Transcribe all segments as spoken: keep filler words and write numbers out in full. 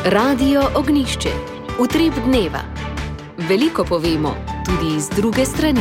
Radio Ognjišče. Utrip dneva. Veliko povemo, tudi iz druge strani.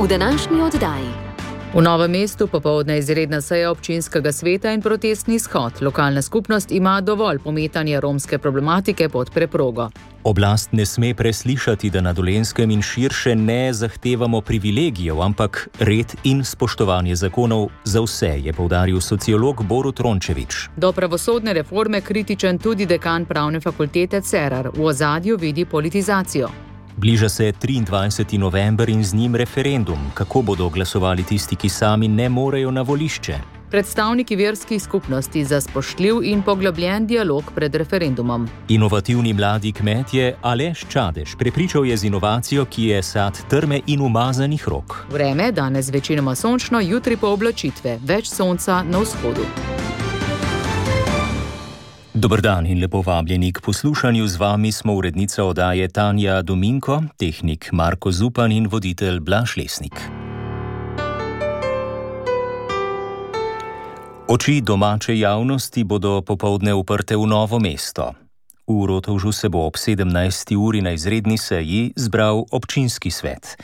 V današnji oddaji. V Novem mestu popoldne izredna seja občinskega sveta in protestni shod. Lokalna skupnost ima dovolj pometanja romske problematike pod preprogo. Oblast ne sme preslišati, da na Dolenjskem in širše ne zahtevamo privilegijev, ampak red in spoštovanje zakonov za vse, je poudaril sociolog Borut Rončević. Do pravosodne reforme kritičen tudi dekan pravne fakultete Cerar. V ozadju vidi politizacijo. Bliža se triindvajseti november in z njim referendum. Kako bodo glasovali tisti, ki sami ne morejo na volišče? Predstavniki verskih skupnosti za spoštljiv in poglobljen dialog pred referendumom. Inovativni mladi kmet je Aleš Čadež. Prepričal je z inovacijo, ki je sad trme in umazanih rok. Vreme danes večinoma sončno, jutri pa oblačitve. Več sonca na vzhodu. Dober dan in lepo vabljeni k poslušanju. Z vami smo urednica oddaje Tanja Dominko, tehnik Marko Zupan in voditelj Blaž Lesnik. Oči domače javnosti bodo popoldne uprte v Novo mesto. V Rotovžu se bo ob sedemnajsti uri na izredni seji zbral občinski svet.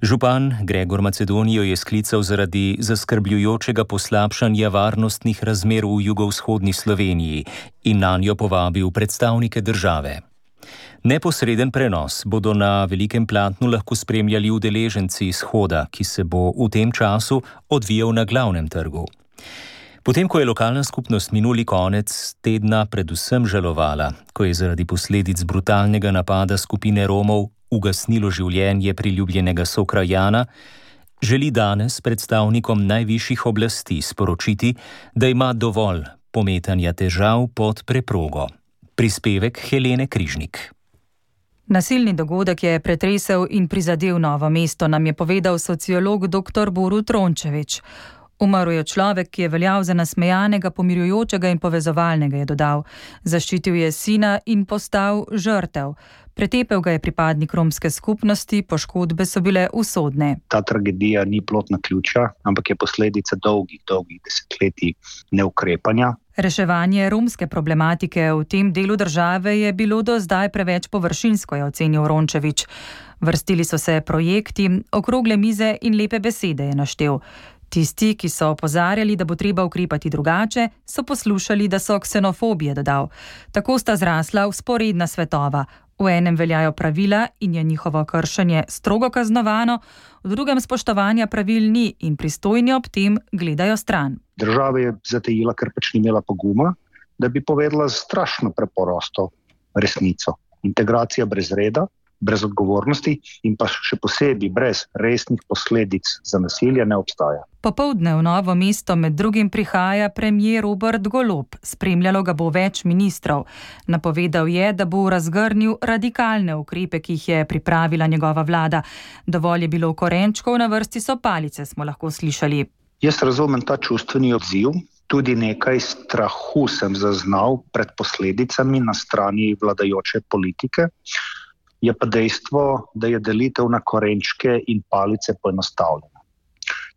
Župan Gregor Macedonijo je sklical zaradi zaskrbljujočega poslabšanja varnostnih razmer v jugovzhodni Sloveniji in nanjo povabil predstavnike države. Neposreden prenos bodo na velikem platnu lahko spremljali udeleženci shoda, ki se bo v tem času odvijal na glavnem trgu. Potem, ko je lokalna skupnost minuli konec tedna predvsem žalovala, ko je zaradi posledic brutalnega napada skupine Romov ugasnilo življenje priljubljenega sokrajana, želi danes predstavnikom najvišjih oblasti sporočiti, da ima dovolj pometanja težav pod preprogo. Prispevek Helene Križnik. Nasilni dogodek je pretresel in prizadel Novo mesto, nam je povedal sociolog dr. Borut Rončević. Umrl je človek, ki je veljal za nasmejanega, pomirjujočega in povezovalnega, je dodal. Zaščitil je sina in postal žrtev. Pretepel ga je pripadnik romske skupnosti, poškodbe so bile usodne. Ta tragedija ni plod naključja, ampak je posledica dolgih, dolgih desetletij neukrepanja. Reševanje romske problematike v tem delu države je bilo do zdaj preveč površinsko, je ocenil Rončević. Vrstili so se projekti, okrogle mize in lepe besede, je naštel. Tisti, ki so opozarjali, da bo treba ukrepati drugače, so poslušali, da so ksenofobije, dodal. Tako sta zrasla vzporedna svetova. V enem veljajo pravila in je njihovo kršenje strogo kaznovano, v drugem spoštovanja pravil ni in pristojni ob tem gledajo stran. Država je zatejila, ker pač ni imela poguma, da bi povedala strašno preprosto resnico. Integracija brez reda, brez odgovornosti in pa še posebej brez resnih posledic za nasilje ne obstaja. Popoldne v Novo mesto med drugim prihaja premier Robert Golob. Spremljalo ga bo več ministrov. Napovedal je, da bo razgrnil radikalne ukrepe, ki jih je pripravila njegova vlada. Dovolj je bilo korenčkov, na vrsti so palice, smo lahko slišali. Jaz razumem ta čustveni odziv. Tudi nekaj strahu sem zaznal pred posledicami na strani vladajoče politike. Je pa dejstvo, da je delitev na korenčke in palice poenostavljena.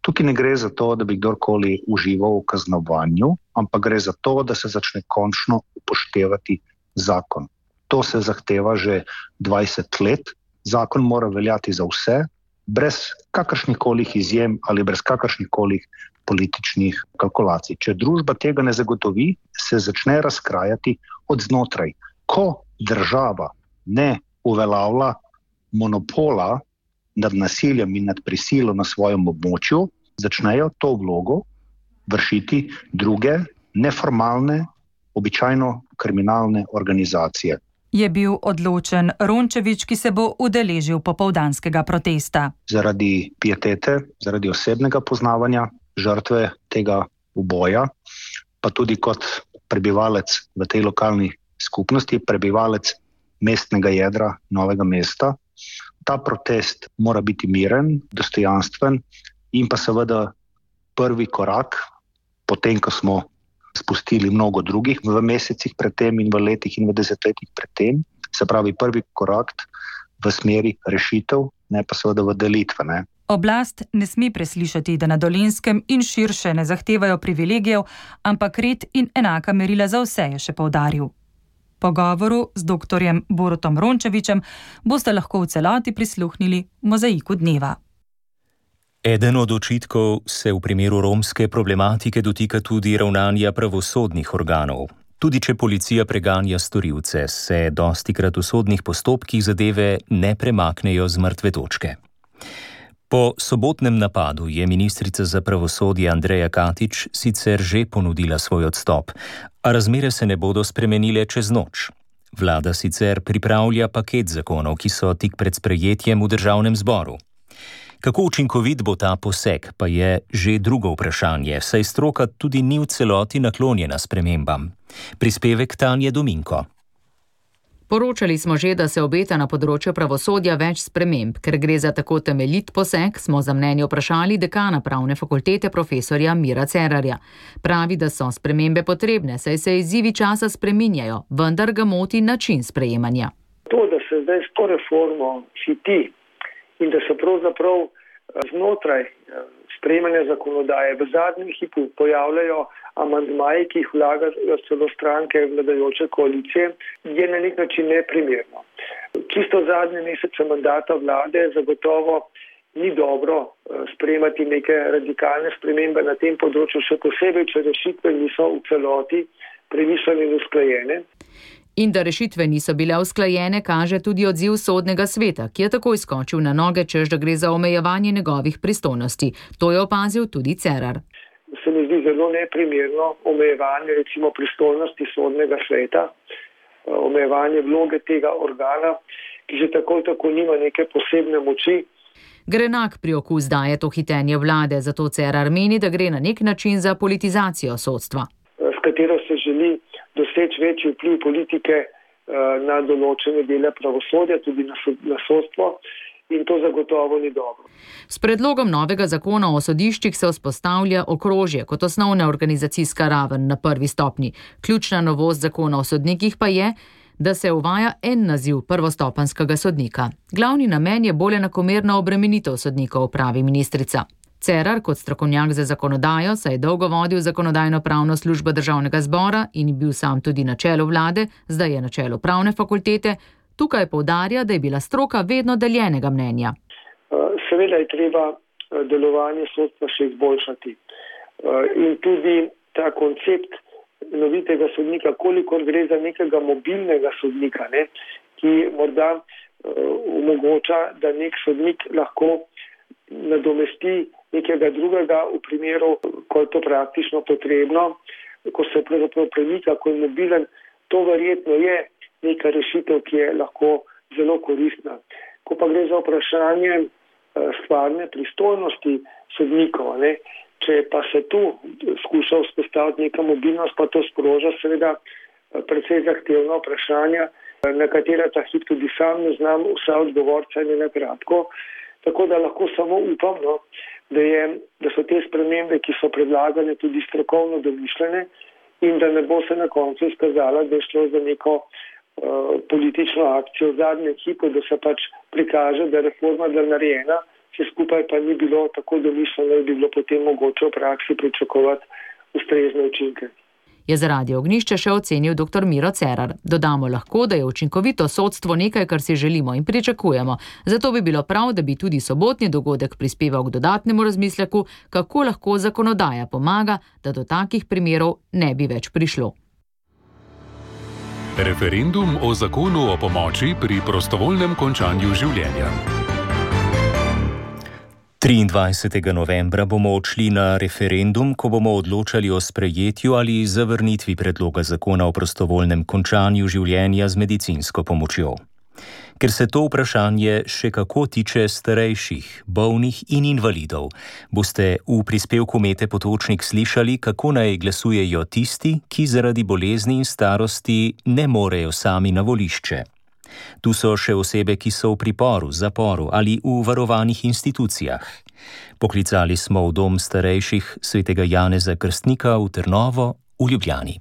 Tukaj ne gre za to, da bi kdorkoli užival v kaznovanju, ampak gre za to, da se začne končno upoštevati zakon. To se zahteva že dvajset let. Zakon mora veljati za vse, brez kakršnihkoli izjem ali brez kakršnihkoli političnih kalkulacij. Če družba tega ne zagotovi, se začne razkrajati od znotraj. Ko država ne uveljavlja monopola nad nasiljem in nad prisilo na svojem območju, začnejo to vlogo vršiti druge neformalne, običajno kriminalne organizacije. Je bil odločen Rončević, ki se bo udeležil popoldanskega protesta. Zaradi pietete, zaradi osebnega poznavanja žrtve tega uboja, pa tudi kot prebivalec v tej lokalni skupnosti, prebivalec mestnega jedra Novega mesta. Ta protest mora biti miren, dostojanstven in pa seveda prvi korak, potem, ko smo spustili mnogo drugih v mesecih predtem in v letih in v desetletjih predtem, se pravi prvi korak v smeri rešitev, ne pa seveda v delitve. Ne. Oblast ne sme preslišati, da na Dolenjskem in širše ne zahtevajo privilegijev, ampak red in enaka merila za vse, je še poudaril. Pogovoru z doktorjem Borutom Rončevićem boste lahko v celoti prisluhnili v Mozaiku dneva. Eden od očitkov se v primeru romske problematike dotika tudi ravnanja pravosodnih organov. Tudi če policija preganja storilce, se dostikrat v sodnih postopkih zadeve ne premaknejo z mrtve točke. Po sobotnem napadu je ministrica za pravosodje Andreja Katič sicer že ponudila svoj odstop, a razmere se ne bodo spremenile čez noč. Vlada sicer pripravlja paket zakonov, ki so tik pred sprejetjem v državnem zboru. Kako učinkovit bo ta poseg, pa je že drugo vprašanje, saj stroka tudi ni v celoti naklonjena spremembam. Prispevek Tanje Dominko. Poročali smo že, da se obeta na področju pravosodja več sprememb. Ker gre za tako temeljit poseg, smo za mnenje vprašali dekana pravne fakultete profesorja Mira Cerarja. Pravi, da so spremembe potrebne, saj se izzivi časa spreminjajo, vendar ga moti način sprejemanja. To, da se zdaj s to reformo hiti in da se pravzaprav znotraj sprejemanja zakonodaje v zadnjem hipu pojavljajo amandmaji, ki jih vlagajo celo stranke vladajoče koalicije, je na nek način neprimerno. Čisto zadnje mesece mandata vlade zagotovo ni dobro sprejemati neke radikalne spremembe na tem področju, še posebej, če rešitve niso v celoti premišljene in usklajene. In da rešitve niso bile usklajene, kaže tudi odziv sodnega sveta, ki je takoj skočil na noge, češ da gre za omejevanje njegovih pristojnosti. To je opazil tudi Cerar. Se mi zdi zelo neprimerno omejevanje recimo pristojnosti sodnega sveta, omejevanje vloge tega organa, ki že tako tako nima neke posebne moči. Grenak priokus daje to hitenje vlade, zato Cerar meni, da gre na nek način za politizacijo sodstva. S katero se želi doseči večji vpliv politike na določene dele pravosodja, tudi na sodstvo. In to zagotovo ni dobro. S predlogom novega zakona o sodiščih se vzpostavlja okrožje kot osnovna organizacijska raven na prvi stopnji. Ključna novost zakona o sodnikih pa je, da se uvaja en naziv prvostopenjskega sodnika. Glavni namen je bolj enakomerna obremenitev sodnikov, pravi ministrica. Cerar kot strokovnjak za zakonodajo se je dolgo vodil zakonodajno-pravno službo državnega zbora in bil sam tudi na čelu vlade, zdaj je na čelu pravne fakultete. Tukaj poudarja, da je bila stroka vedno deljenega mnenja. Seveda je treba delovanje sodstva še izboljšati. In tudi ta koncept novitega sodnika, kolikor gre za nekega mobilnega sodnika, ne, ki morda omogoča, da nek sodnik lahko nadomesti nekega drugega v primeru, ko je to praktično potrebno, ko se pravzaprav premika, ko je mobilen, to verjetno je neka rešitev, ki je lahko zelo koristna. Ko pa gre za vprašanje stvarne pristojnosti sodnikov, ne, če pa se tu skuša vzpostaviti neka mobilnost, pa to sproža seveda precej zahtevna vprašanja, na katera ta hip tudi sam ne znam vsa odgovorca in na kratko. Tako da lahko samo upam, no, da, je, da so te spremembe, ki so predlagane, tudi strokovno domišljene in da ne bo se na koncu izkazala, da je šlo za neko uh, politično akcijo v zadnjem hipu, da se pač prikaže, da je reforma bila narejena, vse skupaj pa ni bilo tako domišljeno, da bi bilo potem mogoče v praksi pričakovati ustrezne učinke. Je za Radio Ognjišče še ocenil doktor Miro Cerar. Dodamo lahko, da je učinkovito sodstvo nekaj, kar si želimo in pričakujemo. Zato bi bilo prav, da bi tudi sobotni dogodek prispeval k dodatnemu razmisleku, kako lahko zakonodaja pomaga, da do takih primerov ne bi več prišlo. Referendum o zakonu o pomoči pri prostovoljnem končanju življenja. triindvajsetega novembra bomo odšli na referendum, ko bomo odločali o sprejetju ali zavrnitvi predloga zakona o prostovoljnem končanju življenja z medicinsko pomočjo. Ker se to vprašanje še kako tiče starejših, bolnih in invalidov, boste v prispevku Mete Potočnik slišali, kako naj glasujejo tisti, ki zaradi bolezni in starosti ne morejo sami na volišče. Tu so še osebe, ki so v priporu, zaporu ali v varovanih institucijah. Poklicali smo v dom starejših svetega Janeza Krstnika v Trnovo v Ljubljani.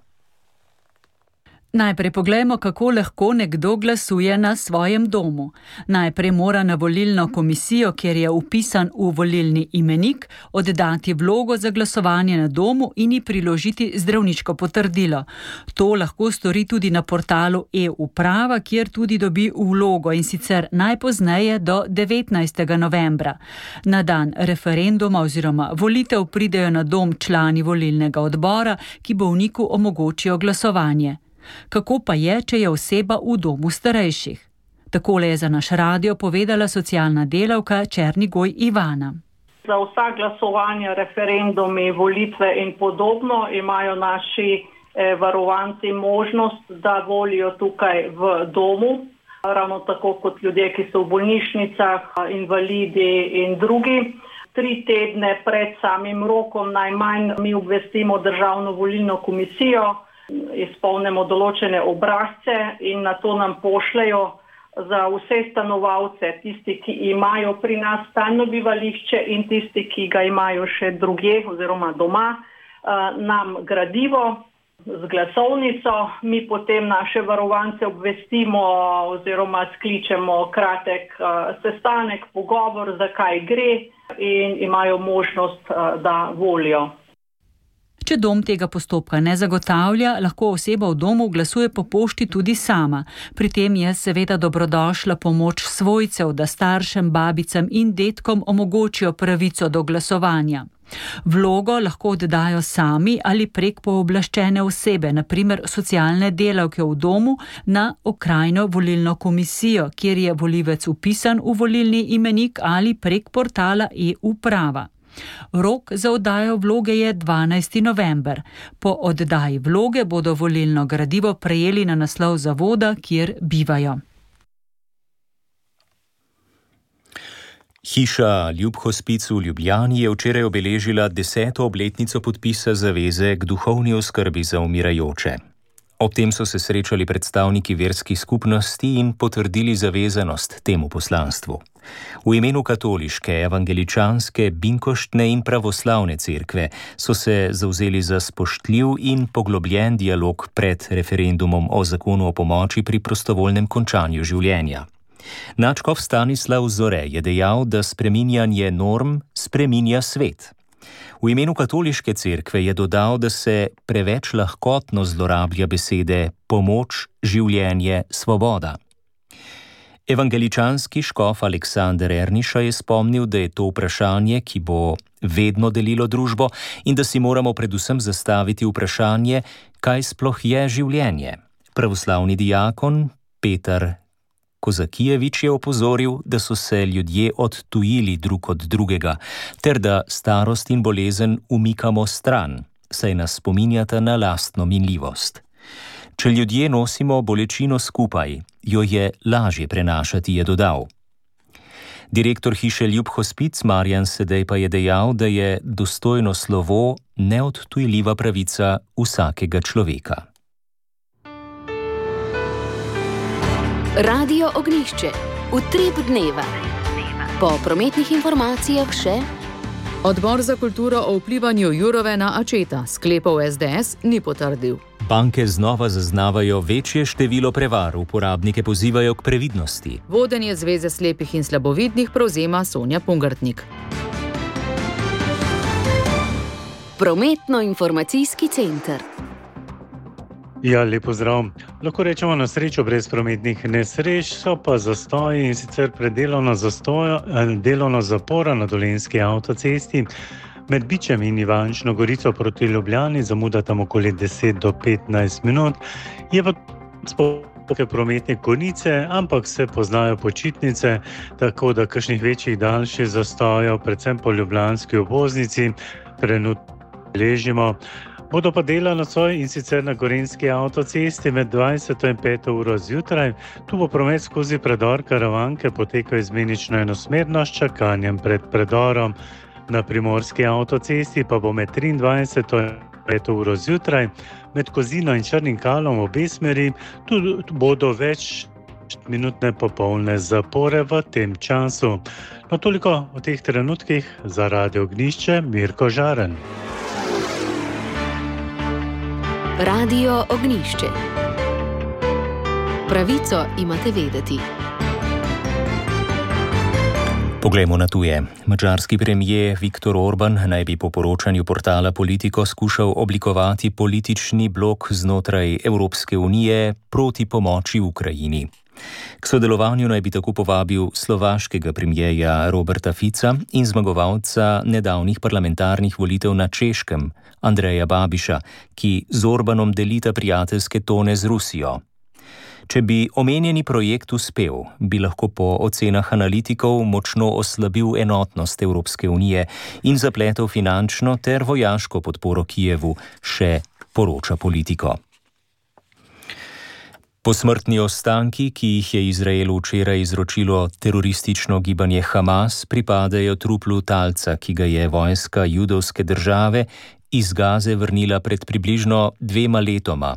Najprej poglejmo, kako lahko nekdo glasuje na svojem domu. Najprej mora na volilno komisijo, kjer je vpisan v volilni imenik, oddati vlogo za glasovanje na domu in ji priložiti zdravniško potrdilo. To lahko stori tudi na portalu e-uprava, kjer tudi dobi vlogo, in sicer najpozneje do devetnajstega novembra. Na dan referenduma oziroma volitev pridejo na dom člani volilnega odbora, ki bolniku omogočijo glasovanje. Kako pa je, če je oseba v domu starejših? Takole je za naš radio povedala socialna delavka Černigoj Ivana. Za vsa glasovanja, referendumi, volitve in podobno imajo naši eh, varovanci možnost, da volijo tukaj v domu. Ravno tako kot ljudje, ki so v bolnišnicah, invalidi in drugi. Tri tedne pred samim rokom najmanj mi obvestimo Državno volilno komisijo, izpolnimo določene obrazce in na to nam pošljajo za vse stanovalce, tisti, ki imajo pri nas stalno bivališče in tisti, ki ga imajo še drugje oziroma doma, nam gradivo z glasovnico. Mi potem naše varovance obvestimo oziroma skličemo kratek sestanek, pogovor, zakaj gre, in imajo možnost, da volijo. Če dom tega postopka ne zagotavlja, lahko oseba v domu glasuje po pošti tudi sama. Pri tem je seveda dobrodošla pomoč svojcev, da staršem, babicam in dedkom omogočijo pravico do glasovanja. Vlogo lahko oddajo sami ali prek pooblaščene osebe, na primer socialne delavke v domu, na okrajno volilno komisijo, kjer je volivec vpisan v volilni imenik, ali prek portala e-uprava. Rok za oddajo vloge je dvanajsti november. Po oddaji vloge bodo volilno gradivo prejeli na naslov zavoda, kjer bivajo. Hiša Ljubhospic v Ljubljani je včeraj obeležila deseto obletnico podpisa zaveze k duhovni oskrbi za umirajoče. Ob tem so se srečali predstavniki verskih skupnosti in potrdili zavezanost temu poslanstvu. V imenu katoliške, evangeličanske, binkoštne in pravoslavne cerkve so se zavzeli za spoštljiv in poglobljen dialog pred referendumom o zakonu o pomoči pri prostovoljnem končanju življenja. Nadškof Stanislav Zore je dejal, da spreminjanje norm spreminja svet. V imenu katoliške cerkve je dodal, da se preveč lahkotno zlorablja besede pomoč, življenje, svoboda. Evangeličanski škof Aleksander Erniša je spomnil, da je to vprašanje, ki bo vedno delilo družbo, in da si moramo predvsem zastaviti vprašanje, kaj sploh je življenje. Pravoslavni diakon Petar Kozakijevič je opozoril, da so se ljudje odtujili drug od drugega, ter da starost in bolezen umikamo stran, saj nas spominjata na lastno minljivost. Če ljudje nosimo bolečino skupaj, jo je lažje prenašati, je dodal. Direktor hiše Ljubhospic Marjan Sedej pa je dejal, da je dostojno slovo neodtujljiva pravica vsakega človeka. Radio Ognjišče, utrip dneva. Po prometnih informacijah še: Odbor za kulturo o vplivanju Jurove na Ačeta sklepov es de es ni potrdil. Banke znova zaznavajo večje število prevar, uporabnike pozivajo k previdnosti. Vodenje Zveze slepih in slabovidnih prevzema Sonja Pungartnik. Prometno-informacijski center. Ja, lep pozdrav. Lahko rečemo na srečo brez prometnih nesreč, so pa zastoji, in sicer pred delovno, zastojo, delovno zapora na Dolenjski avtocesti. Med Bičem in Ivančno Gorico proti Ljubljani zamuda tam okoli deset do petnajst minut. Je pa sploh prometne konice, ampak se poznajo počitnice, tako da kakšnih večjih daljših zastojev, predvsem po ljubljanski obvoznici, trenutno beležimo. Bodo pa dela nocoj, in sicer na Gorenjski avtocesti med dvajseto in peto uro zjutraj. Tu bo promet skozi predor Karavanke potekal izmenično enosmerno s čakanjem pred predorom. Na Primorski avtocesti pa bo med triindvajseto in peto uro zjutraj med Kozino in Črnim Kalom v obe smeri. Tu bodo več minutne popolne zapore v tem času. No, toliko o teh trenutkih. Za Radio Ognjišče, Mirko Žaren. Radio Ognjišče. Pravico imate vedeti. Poglejmo na tuje. Madžarski premijer Viktor Orban naj bi po poročanju portala Politico skušal oblikovati politični blok znotraj Evropske unije proti pomoči Ukrajini. K sodelovanju naj bi tako povabil slovaškega premijerja Roberta Fica in zmagovalca nedavnih parlamentarnih volitev na Češkem, Andreja Babiša, ki z Orbanom delita prijateljske tone z Rusijo. Če bi omenjeni projekt uspel, bi lahko po ocenah analitikov močno oslabil enotnost Evropske unije in zapletel finančno ter vojaško podporo Kijevu, še poroča Politico. Posmrtni ostanki, ki jih je Izraelu včeraj izročilo teroristično gibanje Hamas, pripadajo truplu talca, ki ga je vojska judovske države iz Gaze vrnila pred približno dvema letoma,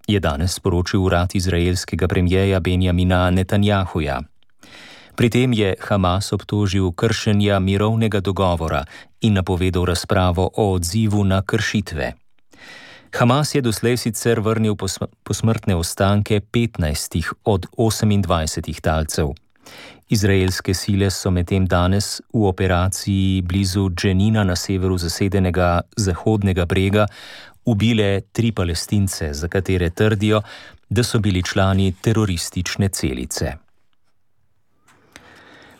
je danes sporočil urad izraelskega premijeja Benjamina Netanjahuja. Pri tem je Hamas obtožil kršenja mirovnega dogovora in napovedal razpravo o odzivu na kršitve. Hamas je doslej sicer vrnil posmrtne ostanke petnajstih od osemindvajsetih talcev. Izraelske sile so medtem danes v operaciji blizu Dženina na severu zasedenega Zahodnega brega ubile tri Palestince, za katere trdijo, da so bili člani teroristične celice.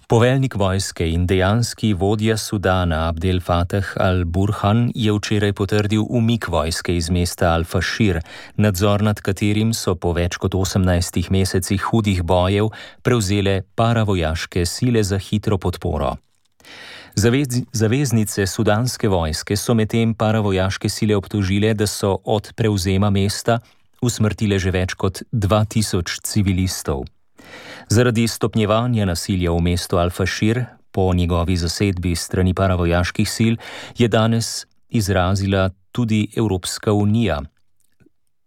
Poveljnik vojske in dejanski vodja Sudana Abdel Fattah al-Burhan je včeraj potrdil umik vojske iz mesta Al-Fashir, nadzor nad katerim so po več kot osemnajstih mesecih hudih bojev prevzele paravojaške sile za hitro podporo. Zavez, zaveznice sudanske vojske so medtem paravojaške sile obtožile, da so od prevzema mesta usmrtile že več kot dva tisoč civilistov. Zaradi stopnjevanja nasilja v mestu Al-Fashir po njegovi zasedbi strani paravojaških sil je danes izrazila tudi Evropska unija.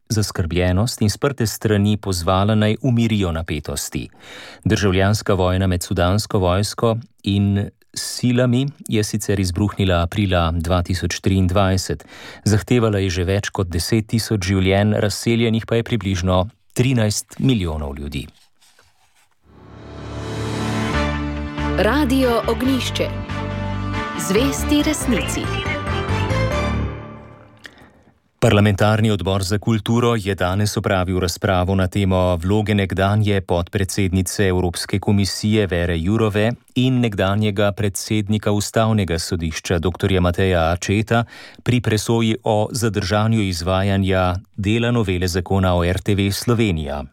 Zaskrbljenost in sprte strani pozvala naj umirijo napetosti. Državljanska vojna med sudansko vojsko in silami je sicer izbruhnila aprila dva tisoč triindvajset. Zahtevala je že več kot deset tisoč življenj, razseljenih pa je približno trinajst milijonov ljudi. Radio Ognjišče. Zvesti resnici. Parlamentarni odbor za kulturo je danes opravil razpravo na temo vloge nekdanje podpredsednice Evropske komisije Vere Jourove in nekdanjega predsednika Ustavnega sodišča doktorja Mateja Acceta pri presoji o zadržanju izvajanja dela novele zakona o R T V Slovenija.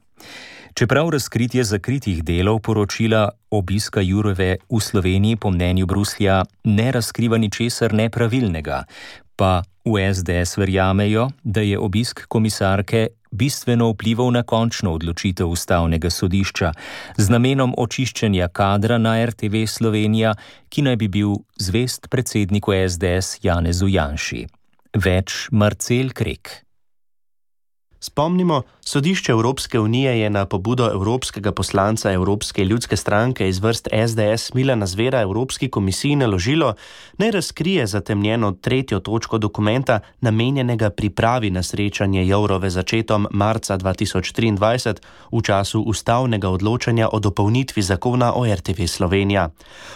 Čeprav razkritje zakritih delov poročila obiska Jourove v Sloveniji po mnenju Bruslja ne razkriva ničesar nepravilnega, pa v S D S verjamejo, da je obisk komisarke bistveno vplival na končno odločitev Ustavnega sodišča z namenom očiščenja kadra na R T V Slovenija, ki naj bi bil zvest predsedniku S D S Janezu Janši. Več Marcel Krek. Spomnimo, sodišče Evropske unije je na pobudo evropskega poslanca Evropske ljudske stranke iz vrst S D S Milana Zvera Evropski komisiji naložilo, naj razkrije zatemnjeno tretjo točko dokumenta, namenjenega pripravi na srečanje Jourove z Accetom marca dva tisoč triindvajset v času ustavnega odločanja o dopolnitvi zakona o R T V Slovenija.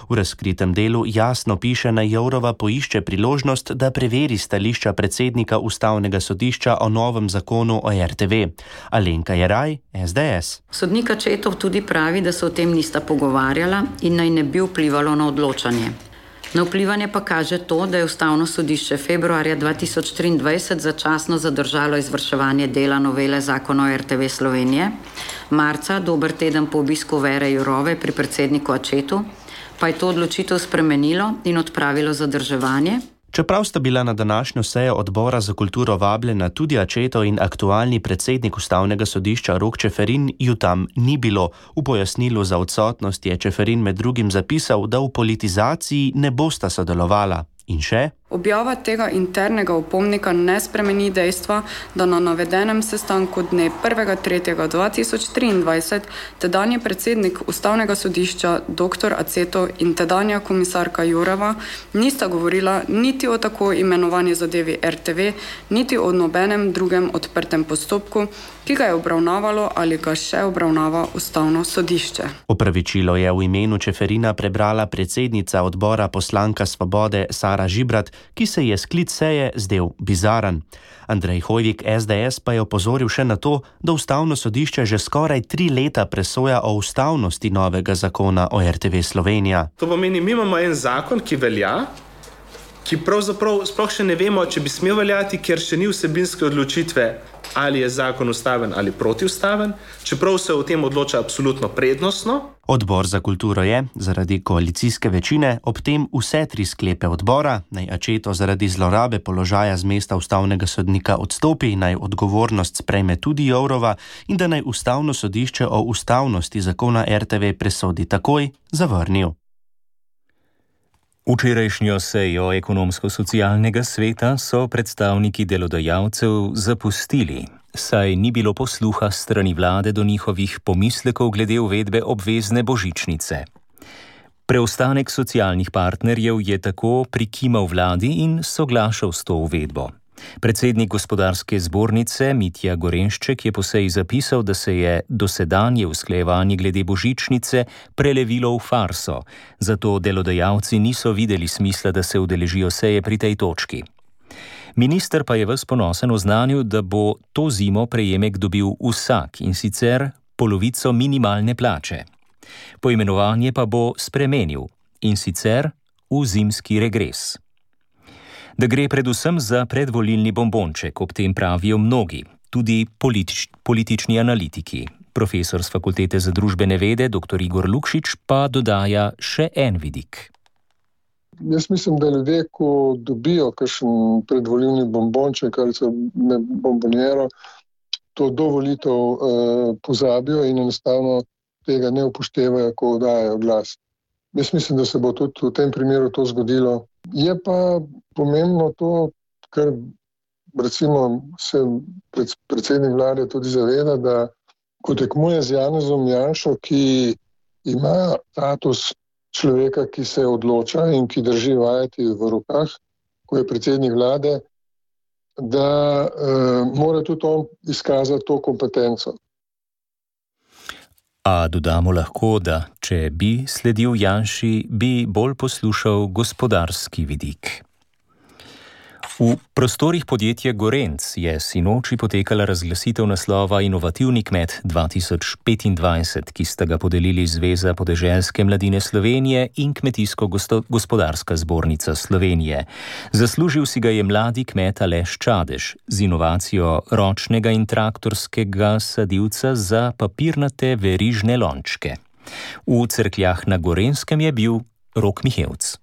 V razkritem delu jasno piše, naj Jourova poišče priložnost, da preveri stališča predsednika Ustavnega sodišča o novem zakonu o R T V. Alenka Jeraj, S D S. Sodnik Accetov tudi pravi, da se o tem nista pogovarjala in naj ne bi vplivalo na odločanje. Na vplivanje pa kaže to, da je Ustavno sodišče februarja dva tisoč triindvajset začasno zadržalo izvrševanje dela novele zakona o R T V Slovenije, marca, dober teden po obisku Vere Jourove pri predsedniku Accetu, pa je to odločitev spremenilo in odpravilo zadrževanje. Čeprav sta bila na današnjo sejo odbora za kulturo vabljena tudi Accetov in aktualni predsednik Ustavnega sodišča Rok Čeferin, ju tam ni bilo. V pojasnilu za odsotnost je Čeferin med drugim zapisal, da v politizaciji ne bosta sodelovala. In še? Objava tega internega opomnika ne spremeni dejstva, da na navedenem sestanku dne prvega tretjega dva tisoč triindvajset tedanji predsednik Ustavnega sodišča doktor Aceto in tedanja komisarka Joureva nista govorila niti o tako imenovani zadevi R T V, niti o nobenem drugem odprtem postopku, ki ga je obravnavalo ali ga še obravnava Ustavno sodišče. Opravičilo je v imenu Čeferina prebrala predsednica odbora poslanka Svobode Sara Žibrat, ki se je sklic seje zdel bizaren. Andrej Hoivik S D S pa je opozoril še na to, da Ustavno sodišče že skoraj tri leta presoja o ustavnosti novega zakona o R T V Slovenija. To pomeni, mi imamo en zakon, ki velja, ki pravzaprav sploh še ne vemo, če bi smel veljati, ker še ni vsebinske odločitve, ali je zakon ustaven ali protiustaven, čeprav se o tem odloča absolutno prednostno. Odbor za kulturo je, zaradi koalicijske večine, ob tem vse tri sklepe odbora, naj Aceto zaradi zlorabe položaja z mesta ustavnega sodnika odstopi, naj odgovornost sprejme tudi Jourova in da naj Ustavno sodišče o ustavnosti zakona R T V presodi takoj, zavrnil. Včerajšnjo sejo ekonomsko-socialnega sveta so predstavniki delodajalcev zapustili, saj ni bilo posluha strani vlade do njihovih pomislekov glede uvedbe obvezne božičnice. Preostanek socialnih partnerjev je tako prikimal vladi in soglašal s to uvedbo. Predsednik gospodarske zbornice Mitja Gorenšček je po seji zapisal, da se je dosedanje usklajevanje glede božičnice prelevilo v farso, zato delodajalci niso videli smisla, da se udeležijo seje pri tej točki. Minister pa je ves ponosen oznanil, da bo to zimo prejemek dobil vsak, in sicer polovico minimalne plače. Poimenovanje pa bo spremenil, in sicer v zimski regres. Da gre predvsem za predvolilni bombonček, ob tem pravijo mnogi, tudi politič, politični analitiki. Profesor z Fakultete za družbene vede, dr Igor Lukšič, pa dodaja še en vidik. Jaz mislim, da ljudje, ko dobijo kakšen predvolilni bombonček ali so bombonjero, to do volitev eh, pozabijo in enostavno tega ne upoštevajo, ko dajo glas. Jaz mislim, da se bo tudi v tem primeru to zgodilo. Je pa pomembno to, kar recimo se predsednik vlade tudi zaveda, da ko tekmuje z Janezom Janšo, ki ima status človeka, ki se odloča in ki drži vajeti v rokah, ko je predsednik vlade, da uh, mora tudi on izkazati to kompetenco. A dodamo lahko, da če bi sledil Janši, bi bolj poslušal gospodarski vidik. V prostorih podjetja Gorenc je sinoči potekala razglasitev naslova Inovativni kmet dva tisoč petindvajset, ki sta ga podelili Zveza podeželske mladine Slovenije in Kmetijsko-gospodarska zbornica Slovenije. Zaslužil si ga je mladi kmet Aleš Čadež z inovacijo ročnega in traktorskega sadilca za papirnate verižne lončke. V Cerkljah na Gorenjskem je bil Rok Mihevc.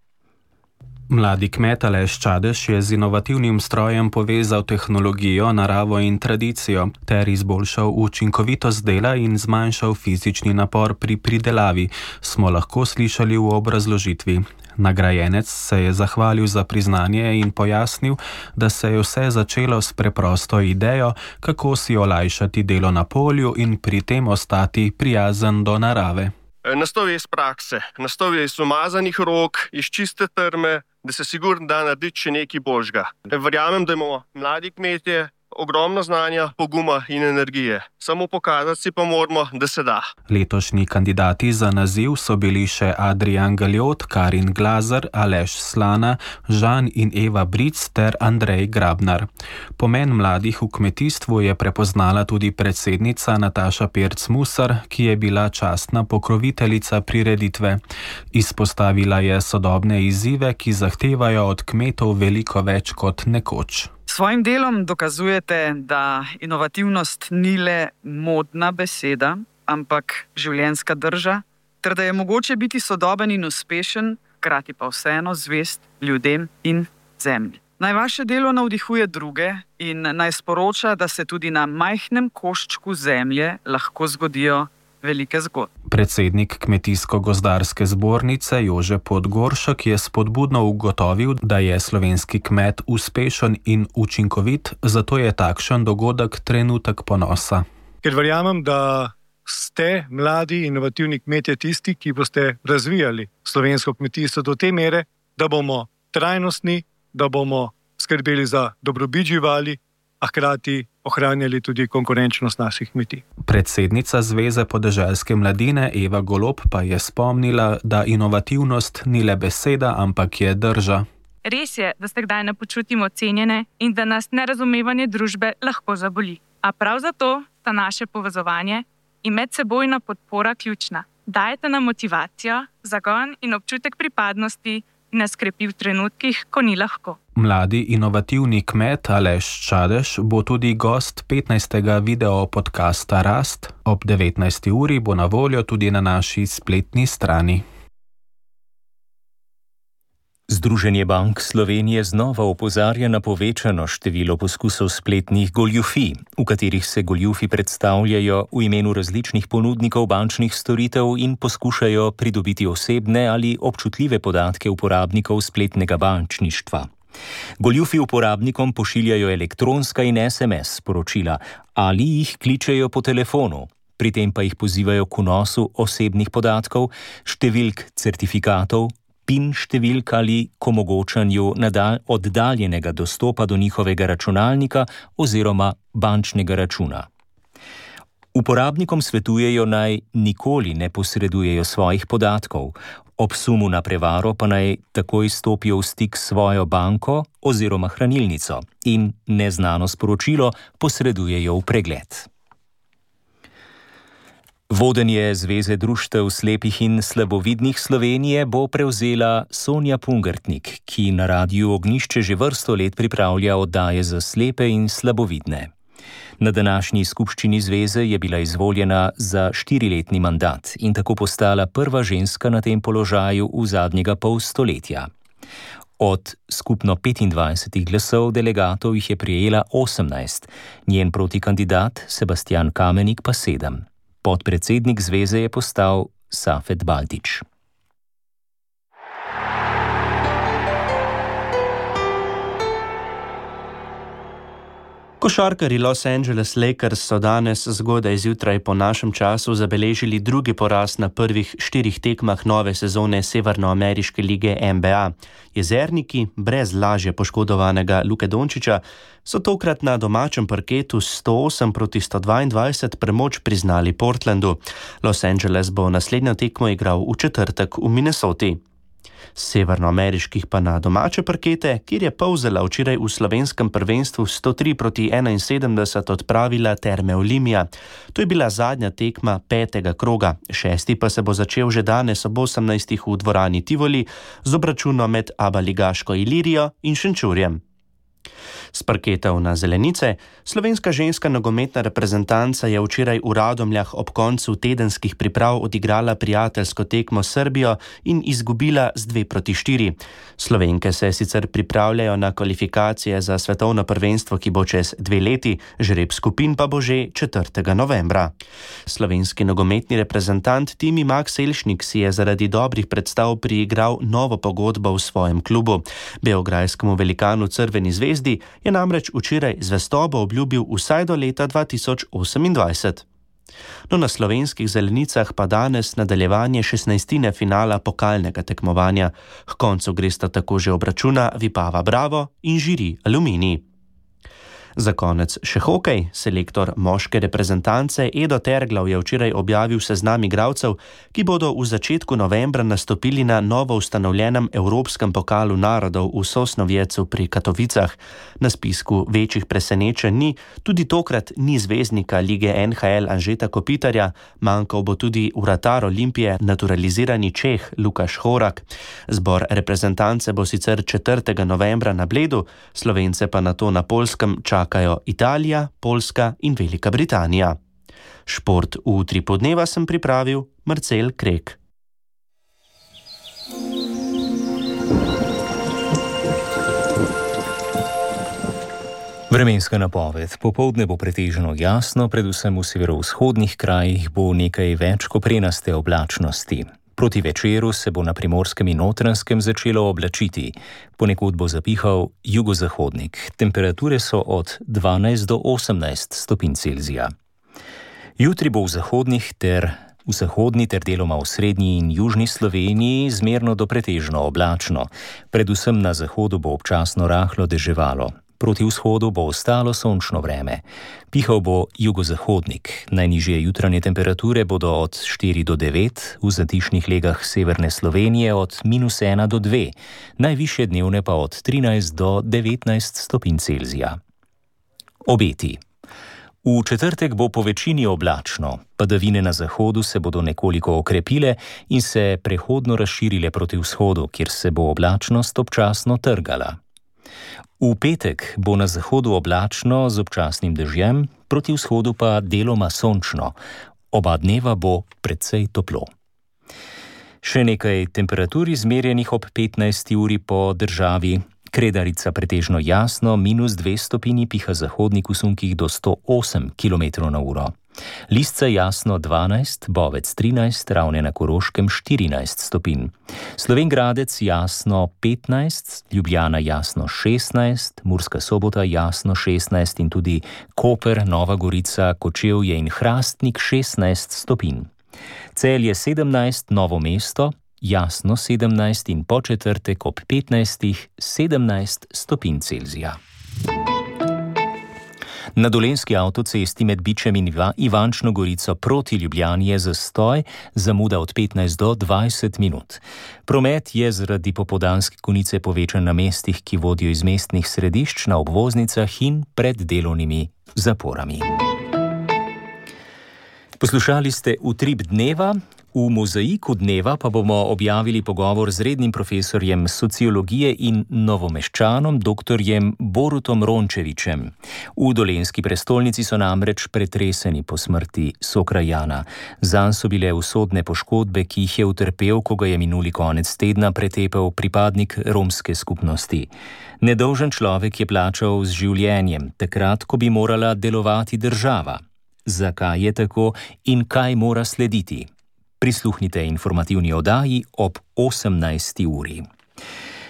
Mladi kmet Aleš Čadež je z inovativnim strojem povezal tehnologijo, naravo in tradicijo ter izboljšal učinkovitost dela in zmanjšal fizični napor pri pridelavi, smo lahko slišali v obrazložitvi. Nagrajenec se je zahvalil za priznanje in pojasnil, da se je vse začelo s preprosto idejo, kako si olajšati delo na polju in pri tem ostati prijazen do narave. Nastov je iz prakse, nastov je iz umazanih rok, iz čiste trme, da se sigurno da narediti še nekaj božga. Verjamem, da imamo mladi kmetje ogromno znanja, poguma in energije. Samo pokazati si pa moramo, da se da. Letošnji kandidati za naziv so bili še Adrian Galjot, Karin Glazer, Aleš Slana, Žan in Eva Bric ter Andrej Grabnar. Pomen mladih v kmetijstvu je prepoznala tudi predsednica Nataša Pirc-Musar, ki je bila častna pokroviteljica prireditve. Izpostavila je sodobne izzive, ki zahtevajo od kmetov veliko več kot nekoč. S svojim delom dokazujete, da inovativnost ni le modna beseda, ampak življenjska drža, ter da je mogoče biti sodoben in uspešen, hkrati pa vseeno zvest ljudem in zemlji. Naj vaše delo navdihuje druge in naj sporoča, da se tudi na majhnem koščku zemlje lahko zgodijo velike zgodbe. Predsednik Kmetijsko-gozdarske zbornice Jože Podgoršek je spodbudno ugotovil, da je slovenski kmet uspešen in učinkovit, zato je takšen dogodek trenutek ponosa. Ker verjamem, da ste mladi, inovativni kmetje tisti, ki boste razvijali slovensko kmetijstvo do te mere, da bomo trajnostni, da bomo skrbeli za dobrobit živali, a hkrati ohranjali tudi konkurenčnost naših kmetij. Predsednica Zveze podeželske mladine Eva Golob pa je spomnila, da inovativnost ni le beseda, ampak je drža. Res je, da se kdaj ne počutimo cenjene in da nas nerazumevanje družbe lahko zaboli. A prav zato sta naše povezovanje in medsebojna podpora ključna. Dajete nam motivacijo, zagon in občutek pripadnosti in nas krepi v trenutkih, ko ni lahko. Mladi inovativni kmet Aleš Čadež bo tudi gost petnajstega video podcasta Rast. Ob devetnajsti uri bo na voljo tudi na naši spletni strani. Združenje bank Slovenije znova opozarja na povečano število poskusov spletnih goljufij, v katerih se goljufi predstavljajo v imenu različnih ponudnikov bančnih storitev in poskušajo pridobiti osebne ali občutljive podatke uporabnikov spletnega bančništva. Goljufi uporabnikom pošiljajo elektronska in es em es sporočila ali jih kličejo po telefonu. Pri tem pa jih pozivajo k vnosu osebnih podatkov, številk certifikatov, pin številk ali k omogočanju oddaljenega dostopa do njihovega računalnika oziroma bančnega računa. Uporabnikom svetujejo naj nikoli ne posredujejo svojih podatkov, ob sumu na prevaro pa naj takoj stopijo v stik s svojo banko oziroma hranilnico in neznano sporočilo posredujejo v pregled. Vodenje Zveze društev slepih in slabovidnih Slovenije bo prevzela Sonja Pungartnik, ki na Radiu Ognjišče že vrsto let pripravlja oddaje za slepe in slabovidne. Na današnji skupščini zveze je bila izvoljena za štiriletni mandat in tako postala prva ženska na tem položaju v zadnjega pol stoletja. Od skupno petindvajsetih glasov delegatov jih je prijela osemnajst, njen protikandidat Sebastian Kamenik pa sedem. Podpredsednik zveze je postal Safet Baltič. Košarkarji Los Angeles Lakers so danes zgodaj zjutraj po našem času zabeležili drugi poraz na prvih štirih tekmah nove sezone Severnoameriške lige N B A. Jezerniki, brez lažje poškodovanega Luke Dončića, so tokrat na domačem parketu sto osem proti sto dvaindvajset premoč priznali Portlandu. Los Angeles bo naslednjo tekmo igral v četrtek v Minnesoti. Severnoameriških pa na domače parkete, kjer je Polzela včeraj v slovenskem prvenstvu sto tri proti enainsedemdeset odpravila Terme Olimia. To je bila zadnja tekma petega kroga, šesti pa se bo začel že danes ob osemnajstih v dvorani Tivoli z obračunom med abaligaško Ilirijo in Šenčurjem. S parketov na zelenice, slovenska ženska nogometna reprezentanca je včeraj v Radomljah ob koncu tedenskih priprav odigrala prijateljsko tekmo s Srbijo in izgubila z dve proti štiri. Slovenke se sicer pripravljajo na kvalifikacije za svetovno prvenstvo, ki bo čez dve leti, žreb skupin pa bo že četrtega novembra. Slovenski nogometni reprezentant Timi Max Elšnik si je zaradi dobrih predstav priigral novo pogodbo v svojem klubu. Beograjskemu velikanu Crveni zvezdi je namreč včeraj zvestobo obljubil vsaj do leta dva tisoč osemindvajset. No, na slovenskih zelenicah pa danes nadaljevanje šestnajstine finala pokalnega tekmovanja. K koncu gresta tako že obračuna Vipava Bravo in Žiri Aluminij. Za konec še hokej. Selektor moške reprezentance Edo Terglav je včeraj objavil seznam igralcev, ki bodo v začetku novembra nastopili na novo ustanovljenem Evropskem pokalu narodov v Sosnovjecu pri Katovicah. Na spisku večjih presenečenj ni, tudi tokrat ni zvezdnika lige N H L Anžeta Kopitarja, manjkal bo tudi vratar Olimpije, naturalizirani Čeh Lukaš Horak. Zbor reprezentance bo sicer četrtega novembra na Bledu, Slovence pa nato na Poljskem čakajo Italija, Poljska in Velika Britanija. Šport v tri podneva sem pripravil Marcel Krek. Vremenska napoved. Popoldne bo pretežno jasno, predvsem v severovzhodnih krajih bo nekaj več koprenaste oblačnosti. Proti večeru se bo na Primorskem in Notranjskem začelo oblačiti. Ponekod bo zapihal jugozahodnik. Temperature so od dvanajst do osemnajst stopinj Celzija. Jutri bo v zahodnih ter v zahodni ter deloma v srednji in južni Sloveniji zmerno do pretežno oblačno. Predvsem na zahodu bo občasno rahlo deževalo. Proti vzhodu bo ostalo sončno vreme. Pihal bo jugozahodnik. Najnižje jutranje temperature bodo od štiri do devet, v zatišnih legah severne Slovenije od minus ena do dve, najvišje dnevne pa od trinajst do devetnajst stopinj Celzija. Obeti. V četrtek bo po večini oblačno. Padavine na zahodu se bodo nekoliko okrepile in se prehodno razširile proti vzhodu, kjer se bo oblačnost občasno trgala. V petek bo na zahodu oblačno z občasnim dežjem, proti vzhodu pa deloma sončno. Oba dneva bo precej toplo. Še nekaj temperatur izmerjenih ob petnajsti uri po državi. Kredarica pretežno jasno, minus dve stopinji, piha zahodnik v sunkih do sto osem kilometrov na uro. Lisca jasno dvanajst, Bovec trinajst, Ravne na Koroškem štirinajst stopinj. Slovenj Gradec jasno petnajst, Ljubljana jasno šestnajst, Murska Sobota jasno šestnajst in tudi Koper, Nova Gorica, Kočevje in Hrastnik šestnajst stopinj. Celje sedemnajst, Novo mesto jasno sedemnajst in po četrtek ob petnajstih sedemnajst stopinj Celzija. Na Dolenjski avtocesti med Bičem in Ivančno Gorico proti Ljubljani je zastoj, zamuda od petnajst do dvajset minut. Promet je zaradi popoldanske konice povečan na mestih, ki vodijo iz mestnih središč, na obvoznicah in pred delovnimi zaporami. Poslušali ste Utrip dneva. V mozaiku dneva pa bomo objavili pogovor z rednim profesorjem sociologije in novomeščanom doktorjem Borutom Rončevićem. V dolenjski prestolnici so namreč pretreseni po smrti sokrajana. Zanj so bile usodne poškodbe, ki jih je utrpel, ko ga je minuli konec tedna pretepel pripadnik romske skupnosti. Nedolžen človek je plačal z življenjem, takrat, ko bi morala delovati država. Zakaj je tako in kaj mora slediti? Prisluhnite informativni oddaji ob osemnajsti uri.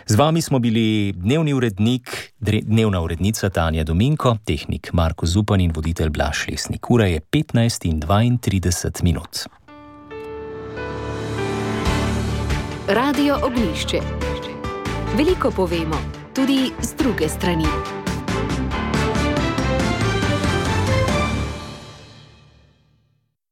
Z vami smo bili dnevni urednik, dnevna urednica Tanja Dominko, tehnik Marko Zupan in voditelj Blaž Lesnik. Ura je petnajst in dvaintrideset minut. Radio Ognjišče. Veliko povemo, tudi z druge strani.